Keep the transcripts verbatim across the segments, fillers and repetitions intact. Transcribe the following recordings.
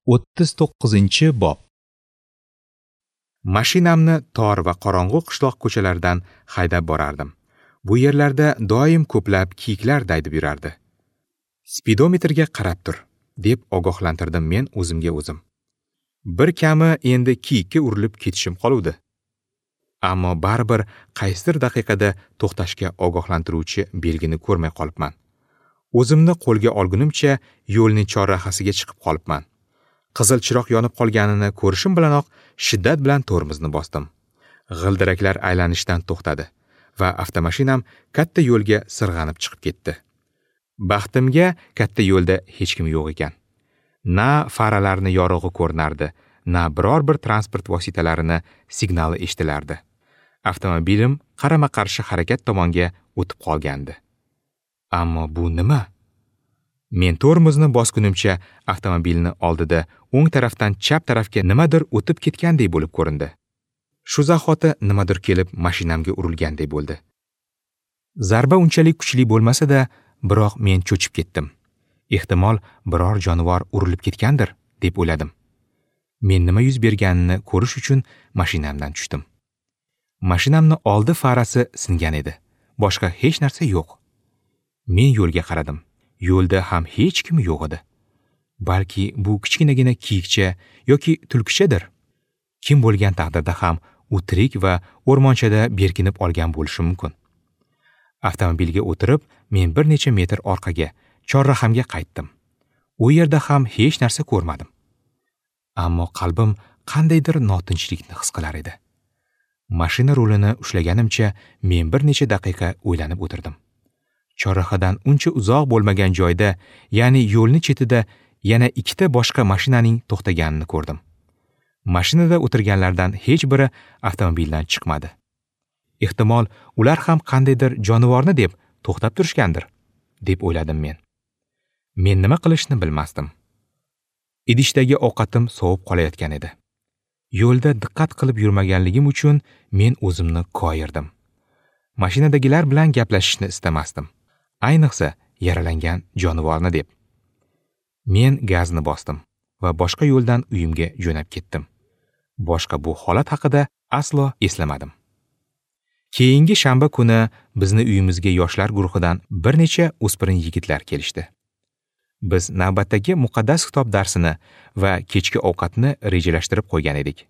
O'ttiz to'qqizinchi bob. Mashinamni tor va qorong'u qishloq ko'chalaridan haydab borardim. Bu yerlarda doim ko'plab kiyiklar daydib yurardi. Spidometrga qarab tur, deb ogohlantirdim men o'zimga o'zim. Bir kami endi kiyikka urilib ketishim qoluvdi. Ammo baribir qaysidir daqiqada to'xtashga ogohlantiruvchi belgini ko'rmay qolibman. O'zimni qo'lga olgunimcha yo'lning chorrahasiga chiqib qolibman. Qizil chiroq yonib qolganini ko'rishim bilanoq shiddat bilan tormozni bosdim. G'ildiraklar aylanishdan to'xtadi va avtomashinam katta yo'lga sirg'anib chiqib ketdi. Baxtimga katta yo'lda hech kim yo'q ekan. Na faralarni yorug'i ko'rinardi, na biror bir transport vositalarini signali eshitilardi. Avtomobilim qarama-qarshi harakat tomonga o'tib qolgandi. Ammo bu nima? Men tormozni bosgunimcha avtomobilni oldida o'ng tarafdan chap tarafga nimadir o'tib ketgandek bo'lib ko'rindi. Shu zahoti nimadir kelib mashinamga urilgandek bo'ldi. Zarba unchalik kuchli bo'lmasa-da, biroq men cho'chib ketdim. Ehtimol biror jonivor urilib ketgandir, deb o'yladim. Men nima yuz berganini ko'rish uchun mashinamdan tushdim. Mashinamni oldi farasi singan edi. Boshqa hech narsa yo'q. Men yo'lga qaradim. Yo'lda ham hech kim yo'q edi. Balki bu kichkinagina kiyikcha yoki tulkichadir. Kim bo'lgan taqdirda ham u tirik va o'rmonchada berkinib olgan bo'lishi mumkin. Avtomobilga o'tirib, men bir necha metr orqaga, chorrahamga qaytdim. U yerda ham hech narsa ko'rmadim. Ammo qalbim qandaydir notinchlikni his qilar edi. Mashina rulini ushlaganimcha men bir necha daqiqa o'ylanib o'tirdim. Chorrahadan uncha uzoq bo'lmagan joyda, ya'ni yo'lning chetida yana ikkita boshqa mashinaning to'xtaganini ko'rdim. Mashinada o'tirganlardan hech biri avtomobildan chiqmadi. Ehtimol ular ham qandaydir jonivorni deb to'xtab turishgandir, deb o'yladim men. Men nima qilishni bilmasdim. Idishdagi ovqatim sovib qolayotgan edi. Yo'lda diqqat qilib yurmaganligim uchun men o'zimni koyirdim. Mashinadagilar bilan gaplashishni istamasdim. Ayniqsa yaralangan jonivorni deb. Men gazni bosdim va boshqa yo'ldan uyimga jo'nab ketdim. Boshqa bu holat haqida aslo eslamadim. Keyingi shanba kuni bizni uyimizga yoshlar guruhidan bir necha o'spirin yigitlar kelishdi. Biz navbatdagi muqaddas kitob darsini va kechki ovqatni rejalashtirib qo'ygan edik.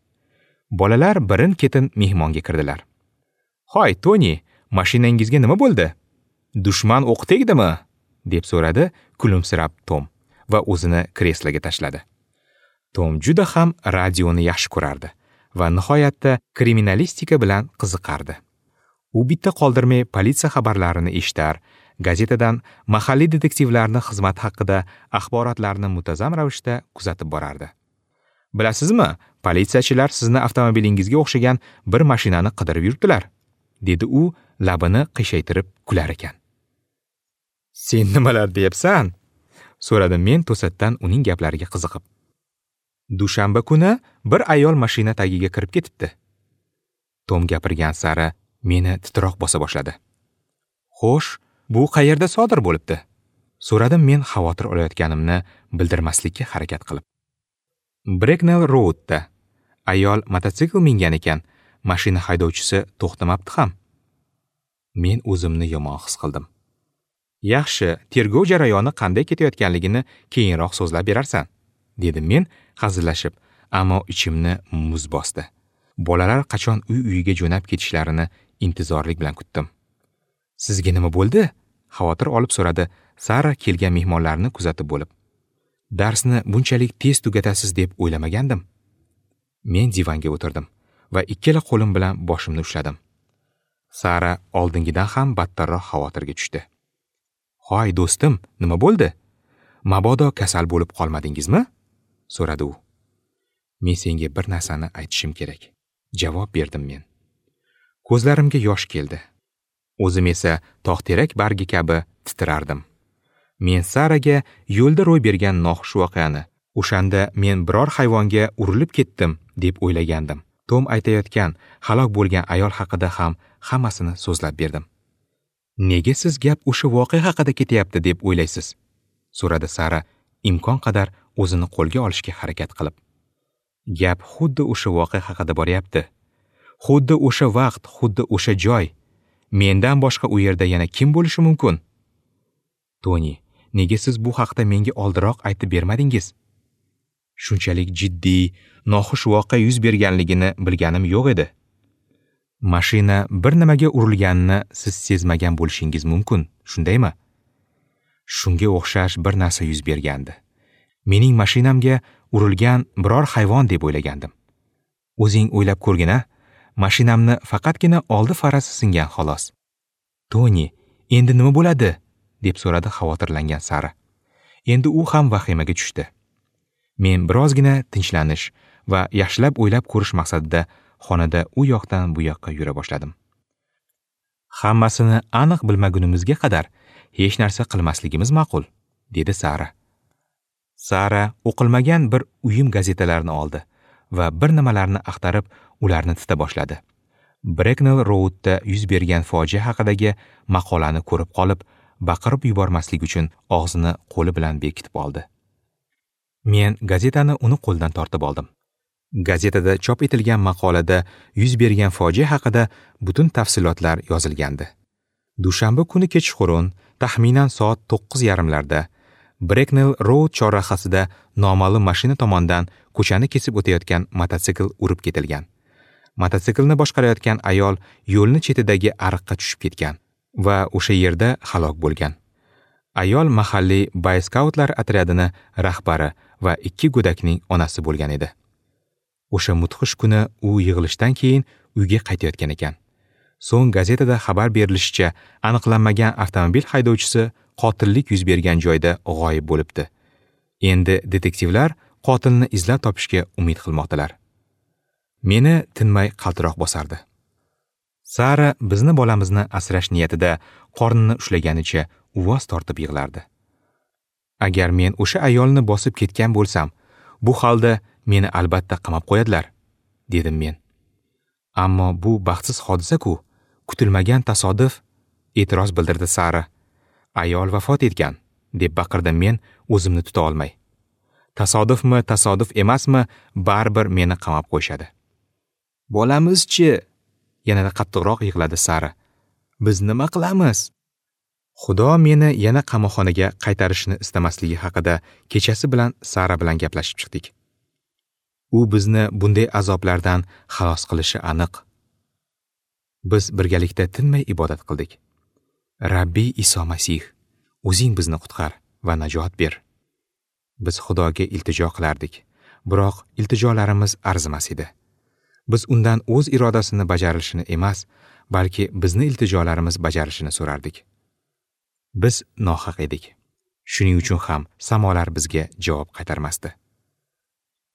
Bolalar birin-ketin mehmonga kirdilar. "Hoy, Toni, mashinangizga nima bo'ldi? Dushman o'q tegdimi?" deb so'radi kulimsirab Tom va o'zini kresloga tashladi. Tom juda ham radioni yaxshi ko'rardi va nihoyatda kriminalistika bilan qiziqardi. U bitta qoldirmay politsiya xabarlarini eshitar, gazetadan mahalliy detektivlarning xizmati haqida axborotlarni muntazam ravishda kuzatib borardi. "Bilasizmi, politsiyachilar sizni avtomobilingizga o'xshagan bir mashinani qidirib yuribdilar", dedi u labini qiyshaytirib kular ekan. "Sen nimalar deyapsan?" so'radim men to'satdan uning gaplariga qiziqib. Dushanba kuni bir ayol mashina tagiga kirib ketibdi. Tom gapirgan sari meni titroq bosa boshladi. "Xo'sh, bu qayerda sodir bo'libdi?" so'radim men xavotir olayotganimni bildirmaslikka harakat qilib. Breknell Roadda ayol mototsikl mingan ekan, mashina haydovchisi to'xtamabdi ham. Men o'zimni yomon his qildim. "Yaxshi, tergov jarayoni qanday ketayotganligini keyinroq so'zlab berarsan", dedim men hazillashib, ammo ichimni muz bosdi. Bolalar qachon uy-uyiga jo'nab ketishlarini intizorlik bilan kutdim. "Sizga nima bo'ldi?" xavotir olib so'radi Sara kelgan mehmonlarni kuzatib bo'lib. "Darsni bunchalik tez tugatasiz deb o'ylamagandim." Men divanga o'tirdim va ikkala qo'lim bilan boshimni ushladim. Sara oldingidan ham battarroq xavotirga tushdi. "Hoy do'stim, nima bo'ldi? Mabodo kasal bo'lib qolmadingizmi?" so'radi u. "Men senga bir narsani aytishim kerak", javob berdim men. Ko'zlarimga yosh keldi. O'zim esa tog'terak bargi kabi titrardim. Men Saraga yo'lda ro'y bergan noxush voqeani, o'shanda men biror hayvonga urilib ketdim deb o'ylagandim. Tom aytayotgan halok bo'lgan ayol haqida ham hammasini so'zlab berdim. "Nega siz gap o'sha voqea haqida ketyapti deb o'ylaysiz?" so'radi Sara imkon qadar o'zini qo'lga olishga harakat qilib. Gap xuddi o'sha voqea haqida boryapti. Xuddi o'sha vaqt, xuddi o'sha joy. Mendan boshqa u yerda yana kim bo'lishi mumkin? Toni, nega siz bu haqda menga oldiroq aytib bermadingiz? Shunchalik jiddiy, noxush voqea yuz berganligini bilganim yo'q edi. Mashina bir nimaga urilganini siz sezmagan bo'lishingiz mumkin, shundaymi? Shunga o'xshash bir narsa yuz bergandi. Mening mashinamga urilgan biror hayvon deb o'ylagandim. O'zing o'ylab ko'rgin-a, mashinamni faqatgina oldi farasi singan xolos. Toni, endi nima bo'ladi? Deb so'radi xavotirlangan Sara. Endi u ham vahimaga tushdi. Men birozgina tinchlanish va yaxshilab o'ylab ko'rish maqsadida xonada u yoqdan bu yoqqa yura boshladim. Hammasini aniq bilmagunimizga qadar hech narsa qilmasligimiz ma'qul, dedi Sara. Sara o'qilmagan bir uyum gazetalarini oldi va bir nimalarni axtarib, ularni tita boshladi. Breknell Roadda yuz bergan fojia haqidagi maqolani ko'rib qolib, baqirib yubormaslik uchun og'zini qo'li bilan bekitib oldi. Men gazetani uni qo'ldan tortib oldim. Gazetada chop etilgan maqolada yuz bergan fojia haqida butun tafsilotlar yozilgandi. Dushanba kuni kechqurun, taxminan soat to'qqiz yarimlarda Breknell Road chorrahasida noma'lum mashina tomonidan ko'chani kesib o'tayotgan mototsikl urib ketilgan. Mototsiklni boshqarayotgan ayol yo'lni chetidagi ariqqa tushib ketgan va o'sha yerda halok bo'lgan. Ayol mahalliy boyskautlar otryadini rahbari va ikki go'dakning onasi bo'lgan edi. O'sha mudhish kuni u yig'ilishdan keyin uyga qaytayotgan ekan. So'ng gazetada xabar berilishicha, aniqlanmagan avtomobil haydovchisi qotillik yuz bergan joyda g'oyib bo'libdi. Endi detektivlar qotilni izlab topishga umid qilmoqdalar. Meni tinmay qaltiroq bosardi. Sara bizni bolamizni asrash niyatida qornini ushlaganicha uvoz tortib yig'lardi. Agar men o'sha ayolni bosib ketgan bo'lsam, bu holda meni albatta qamab qo'yadilar, dedim men. Ammo bu baxtsiz hodisa-ku, kutilmagan tasodif, e'tiroz bildirdi Sara. Ayol vafot etgan, deb baqirdim men o'zimni tuta olmay. Tasodifmi, tasodif emasmi, baribir meni qamab qo'yishadi. Bolamiz-chi? Yanada qattiqroq yig'ladi Sara. Biz nima qilamiz? Xudo meni yana qamoqxonaga qaytarishini istamasligi haqida kechasi bilan Sara bilan gaplashib chiqdik. U bizni bunday azoblardan xalos qilishi aniq. Biz birgalikda tinmay ibodat qildik. Rabbiy Iso Masih, o'zing bizni qutqar va najot ber. Biz Xudoga iltijo qilardik, biroq iltijolarimiz arzimas edi. Biz undan o'z irodasini bajarilishini emas, balki bizni iltijolarimiz bajarilishini so'rardik. Biz nohaq edik. Shuning uchun ham samolar bizga javob qaytarmasdi.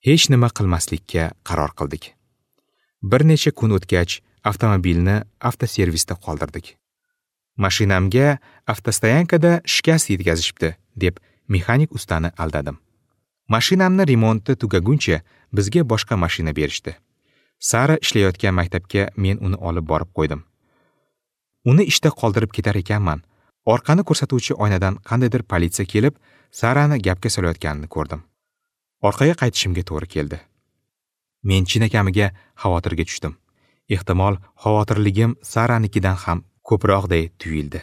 Hech nima qilmaslikka qaror qildik. Bir necha kun o'tgach, avtomobilni avtoservisda qoldirdik. Mashinamga avtostoyankada shikast yetkazishibdi, deb mexanik ustani aldadim. Mashinamni remonti tugaguncha bizga boshqa mashina berishdi. Sara ishlayotgan maktabga men uni olib borib qo'ydim. Uni ishda qoldirib ketar ekanman, orqani ko'rsatuvchi oynadan qandaydir politsiya kelib, Sarani gapga solayotganini ko'rdim. Orqaga qaytishimga to'g'ri keldi. Men chinakamiga xavotirga tushdim. Ehtimol, xavotirligim Saranikidan ham ko'proqday tuyuldi.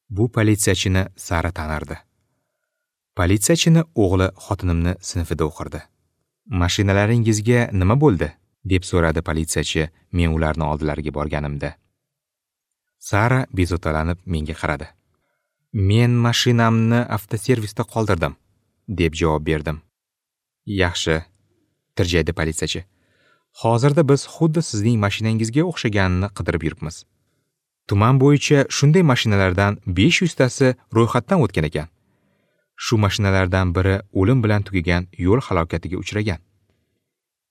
Bu politsiyachini Sara tanirdi. Politsiyachini o'g'li xotinimni sinfida o'qirdi. Mashinalaringizga nima bo'ldi? Deb so'radi politsiyachi men ularni oldilariga borganimda. Sara bezovtalanib menga qaradi. Men mashinamni avtoservisda qoldirdim, deb javob berdim. Yaxshi, tirjaydi politsiyachi. Hozirda biz xuddi sizning mashinangizga o'xshaganini qidirib yuribmiz. Tuman bo'yicha shunday mashinalardan besh yuz tasi ro'yxatdan o'tgan ekan. Shu mashinalardan biri o'lim bilan tugagan yo'l halokatiga uchragan.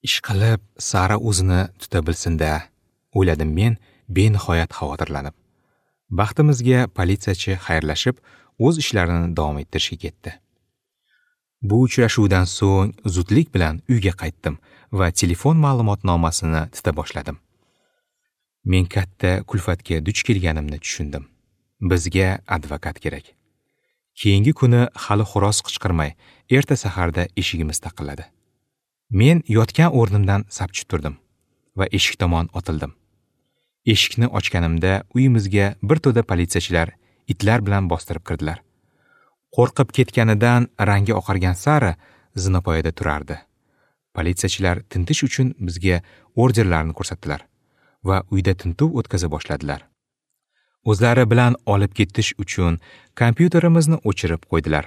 Ishqilib Sara o'zini tuta bilsin-da, o'yladim men benihoyat xavotirlanib. Baxtimizga politsiyachi xayrlashib, o'z ishlarini davom ettirishga ketdi. Bu uchrashuvdan so'ng zudlik bilan uyga qaytdim va telefon ma'lumotnomasini tita boshladim. Men katta kulfatga duch kelganimni tushundim. Bizga advokat kerak. Keyingi kuni hali xo'roz qichqirmay, erta saharda eshigimiz taqilladi. Men yotgan o'rnimdan sapchib turdim va eshik tomon otildim. Eshikni ochganimda uyimizga bir to'da politsiyachilar itlar bilan bostirib kirdilar. Qo'rqib ketganidan rangi oqargan Sara zinapoyada turardi. Politsiyachilar tintish uchun bizga orderlarni ko'rsatdilar va uyda tintuv o'tkaza boshladilar. O'zlari bilan olib ketish uchun kompyuterimizni o'chirib qo'ydilar.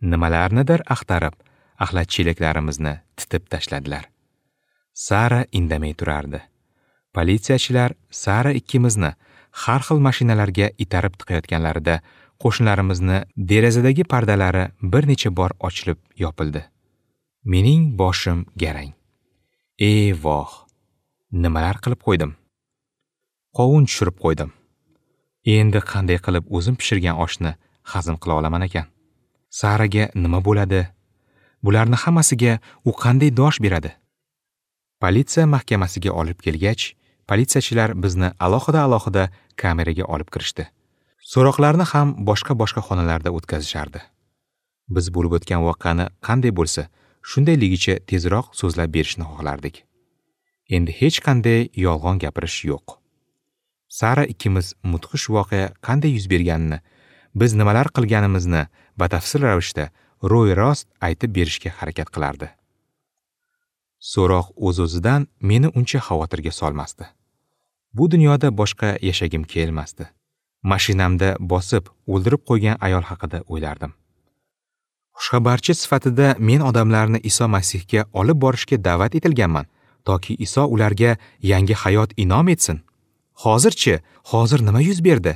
Nimalarnidir axtarib, axlat chelaklarimizni titib tashladilar. Sara indamay turardi. Politsiyachilar Sara ikkimizni har xil mashinalarga itarib tiqayotganlarida qo'shnilarimizni derazadagi pardalari bir necha bor ochilib yopildi. Mening boshim garang. Ey voh! Nimalar qilib qo'ydim? Qovun tushirib qo'ydim. Endi qanday qilib o'zim pishirgan oshni hazm qila olaman ekan? Saraga nima bo'ladi? Bularni hammasiga u qanday dosh beradi? Politsiya mahkamasiga olib kelgach, politsiyachilar bizni alohida-alohida kameraga olib kirishdi. So'roqlarni ham boshqa-boshqa xonalarda o'tkazishardi. Biz bo'lib o'tgan voqeani qanday bo'lsa, shundayligicha tezroq so'zlab berishni xohlardik. Endi hech qanday yolg'on gapirish yo'q. Sara ikkimiz mudhish voqea qanday yuz berganini, biz nimalar qilganimizni batafsil ravishda ro'y-rost aytib berishga harakat qilardi. So'roq o'z-o'zidan meni uncha xavotirga solmasdi. Bu dunyoda boshqa yashagim kelmasdi. Mashinamda bosib, o'ldirib qo'ygan ayol haqida o'ylardim. Xushxabarchi sifatida men odamlarni Iso Masihga olib borishga da'vat etilganman, toki Iso ularga yangi hayot inom etsin. Hozirchi, hozir nima yuz berdi?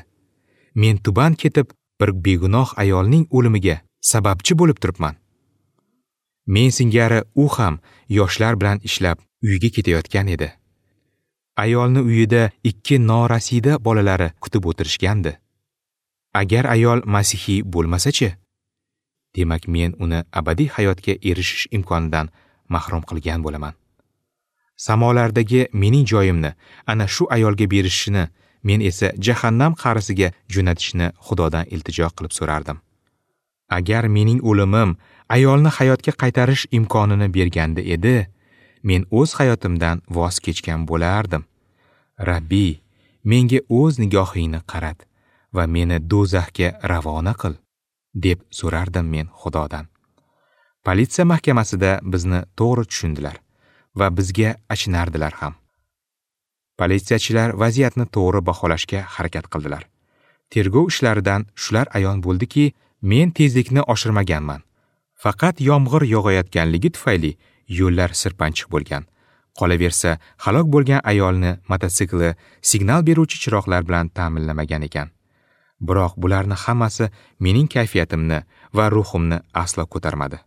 Men tuban ketib, bir begunoh ayolning o'limiga sababchi bo'lib turibman. Men singari u ham yoshlar bilan ishlab uyiga ketayotgan edi. Ayolni uyida ikki norasida bolalari kutib o'tirishgandi. Agar ayol masihiy bo'lmasa-chi? Demak, men uni abadiy hayotga erishish imkonidan mahrum qilgan bo'laman. Samolardagi mening joyimni ana shu ayolga berishini, men esa jahannam qa'risiga jo'natishni Xudodan iltijo qilib so'rardim. Agar mening o'limim ayolni hayotga qaytarish imkonini berganda edi, men o'z hayotimdan voz kechgan bo'lardim. Rabbi, menga o'z nigohingni qarat va meni do'zaxga ravona qil, deb so'rardim men Xudodan. Politsiya mahkamasida bizni to'g'ri tushundilar va bizga achinardilar ham. Politsiyachilar vaziyatni to'g'ri baholashga harakat qildilar. Tergov ishlaridan shular ayon bo'ldiki, men tezlikni oshirmaganman. Faqat yomg'ir yog'ayotganligi tufayli yo'llar sirpanchiq bo'lgan. Qolaversa, halok bo'lgan ayolni mototsikli signal beruvchi chiroqlar bilan ta'minlamagan ekan. Biroq bularni hammasi mening kayfiyatimni va ruhimni aslo ko'tarmadi.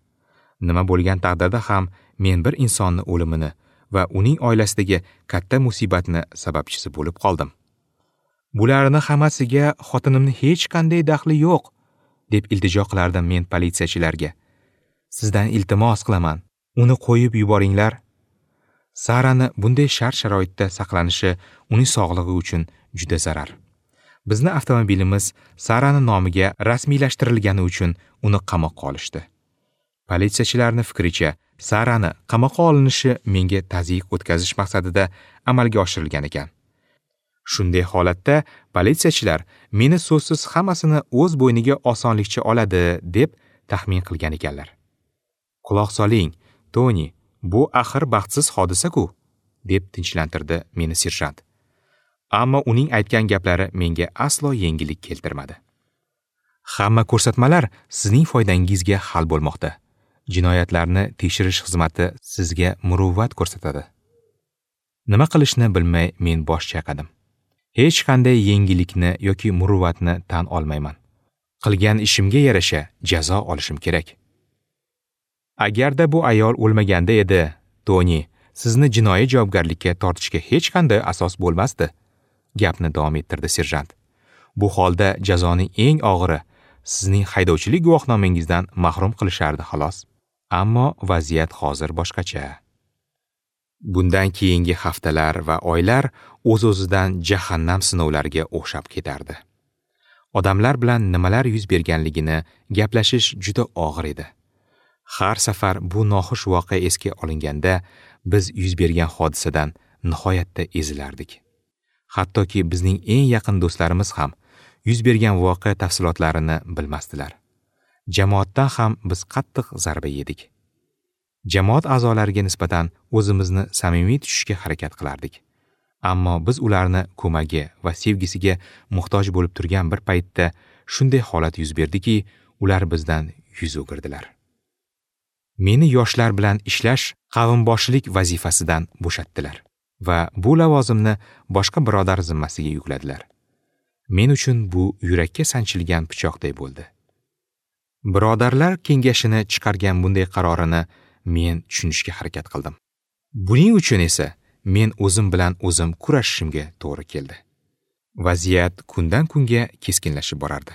Nima bo'lgan taqdirda ham men bir insonni o'limini va uning oilasidagi katta musibatni sababchisi bo'lib qoldim. Bularni hammasiga xotinimni hech qanday daxli yo'q, deb iltijo qilardim men politsiyachilarga. Sizdan iltimos qilaman, uni qo'yib yuboringlar. Sarani bunday shart-sharoitda saqlanishi uning sog'lig'i uchun juda zarar. Bizni avtomobilimiz Sarani nomiga rasmiylashtirilgani uchun uni qamoqqa olishdi. Politsiyachilarning fikricha, Sarani qamoqqa olinishi menga tazyiq o'tkazish maqsadida amalga oshirilgan ekan. Shunday holatda politsiyachilar meni so'zsiz hammasini o'z bo'yniga osonlikcha oladi deb taxmin qilgan ekanlar. Quloq soling, Toni, bu axir baxtsiz hodisa-ku, deb tinchlantirdi meni serjant. Ammo uning aytgan gaplari menga aslo yengillik keltirmadi. Hamma ko'rsatmalar sizning foydangizga hal bo'lmoqda. Jinoyatlarni tekshirish xizmati sizga muruvvat ko'rsatadi. Nima qilishni bilmay men bosh chayqadim. Hech qanday yengillikni yoki muruvvatni tan olmayman. Qilgan ishimga yarasha jazo olishim kerak. Agarda bu ayol o'lmaganda edi, Toni, sizni jinoiy javobgarlikka tortishga hech qanday asos bo'lmasdi, gapni davom ettirdi serjant. Bu holda jazoning eng og'iri sizning haydovchilik guvohnomangizdan mahrum qilishardi xolos. Ammo vaziyat hozir boshqacha. Bundan keyingi haftalar va oylar o'z-o'zidan jahannam sinovlariga o'xshab ketardi. Odamlar bilan nimalar yuz berganligini gaplashish juda og'ir edi. Har safar bu noxush voqea esga olinganda biz yuz bergan hodisadan nihoyatda ezilardik. Hattoki bizning eng yaqin do'stlarimiz ham yuz bergan voqea tafsilotlarini bilmasdilar. Jamoatdan ham biz qattiq zarba yedik. Jamoat a'zolariga nisbatan o'zimizni samimiy tutishga harakat qilardik. Ammo biz ularni ko'magi va sevgisiga muhtoj bo'lib turgan bir paytda shunday holat yuz berdiki, ular bizdan yuz o'girdilar. Meni yoshlar bilan ishlash qavmboshilik vazifasidan bo'shatdilar va bu lavozimni boshqa birodar zimmasiga yukladilar. Men uchun bu yurakka sanchilgan pichoqday bo'ldi. Birodarlar kengashini chiqargan bunday qarorini men tushunishga harakat qildim. Buning uchun esa men o'zim bilan o'zim kurashishimga to'g'ri keldi. Vaziyat kundan kunga keskinlashib borardi.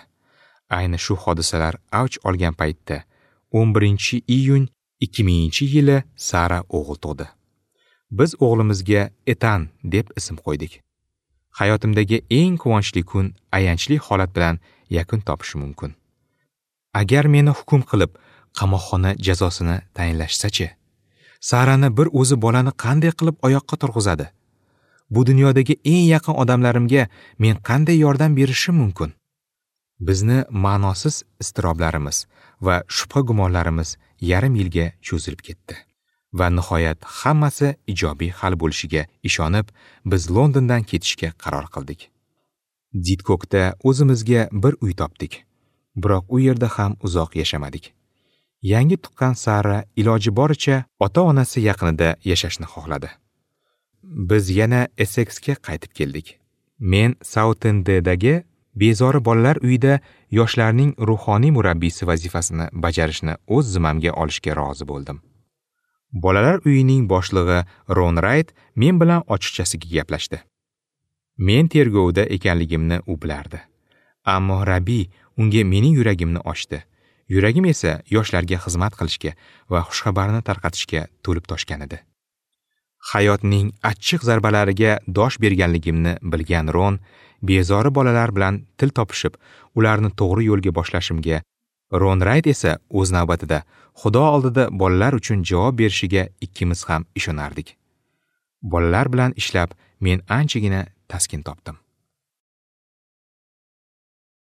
Ayni shu hodisalar avj olgan paytda o'n birinchi iyun ikki minginchi yili Sara o'g'il tug'di. Biz o'g'limizga Etan deb ism qo'ydik. Hayotimdagi eng quvonchli kun ayanchli holat bilan yakun topishi mumkin. Agar meni hukm qilib, qamoqxona jazosini tayinlashsa-chi? Sarani bir o'zi bolani qanday qilib oyoqqa turg'izadi? Bu dunyodagi eng yaqin odamlarimga men qanday yordam berishim mumkin? Bizni ma'nosiz iztiroblarimiz va shubha gumonlarimiz yarim yilga cho'zilib ketdi. Va nihoyat hammasi ijobiy hal bo'lishiga ishonib, biz Londondan ketishga qaror qildik. Didkokda o'zimizga bir uy topdik. Biroq u yerda ham uzoq yashamadik. Yangi tuqqan Sara iloji boricha ota-onasi yaqinida yashashni xohladi. Biz yana Essexga qaytib keldik. Men Soutenddagi bezori bolalar uyida yoshlarning ruhoniy murabbiysi vazifasini bajarishni o'z zimmamga olishga rozi bo'ldim. Bolalar uyining boshlig'i Ron Rayt men bilan ochiqchasiga gaplashdi. Men tergovda ekanligimni u bilardi. Ammo Rabi unga mening yuragimni ochdi. Yuragim esa yoshlarga xizmat qilishga va xushxabarni tarqatishga to'lib toshgan edi. Hayotning achchiq zarbalariga dosh berganligimni bilgan Ron bezori bolalar bilan til topishib, ularni to'g'ri yo'lga boshlashimga, Ron Rayt esa o'z navbatida Xudo oldida bolalar uchun javob berishiga ikkimiz ham ishonardik. Bolalar bilan ishlab men anchagina taskin topdim.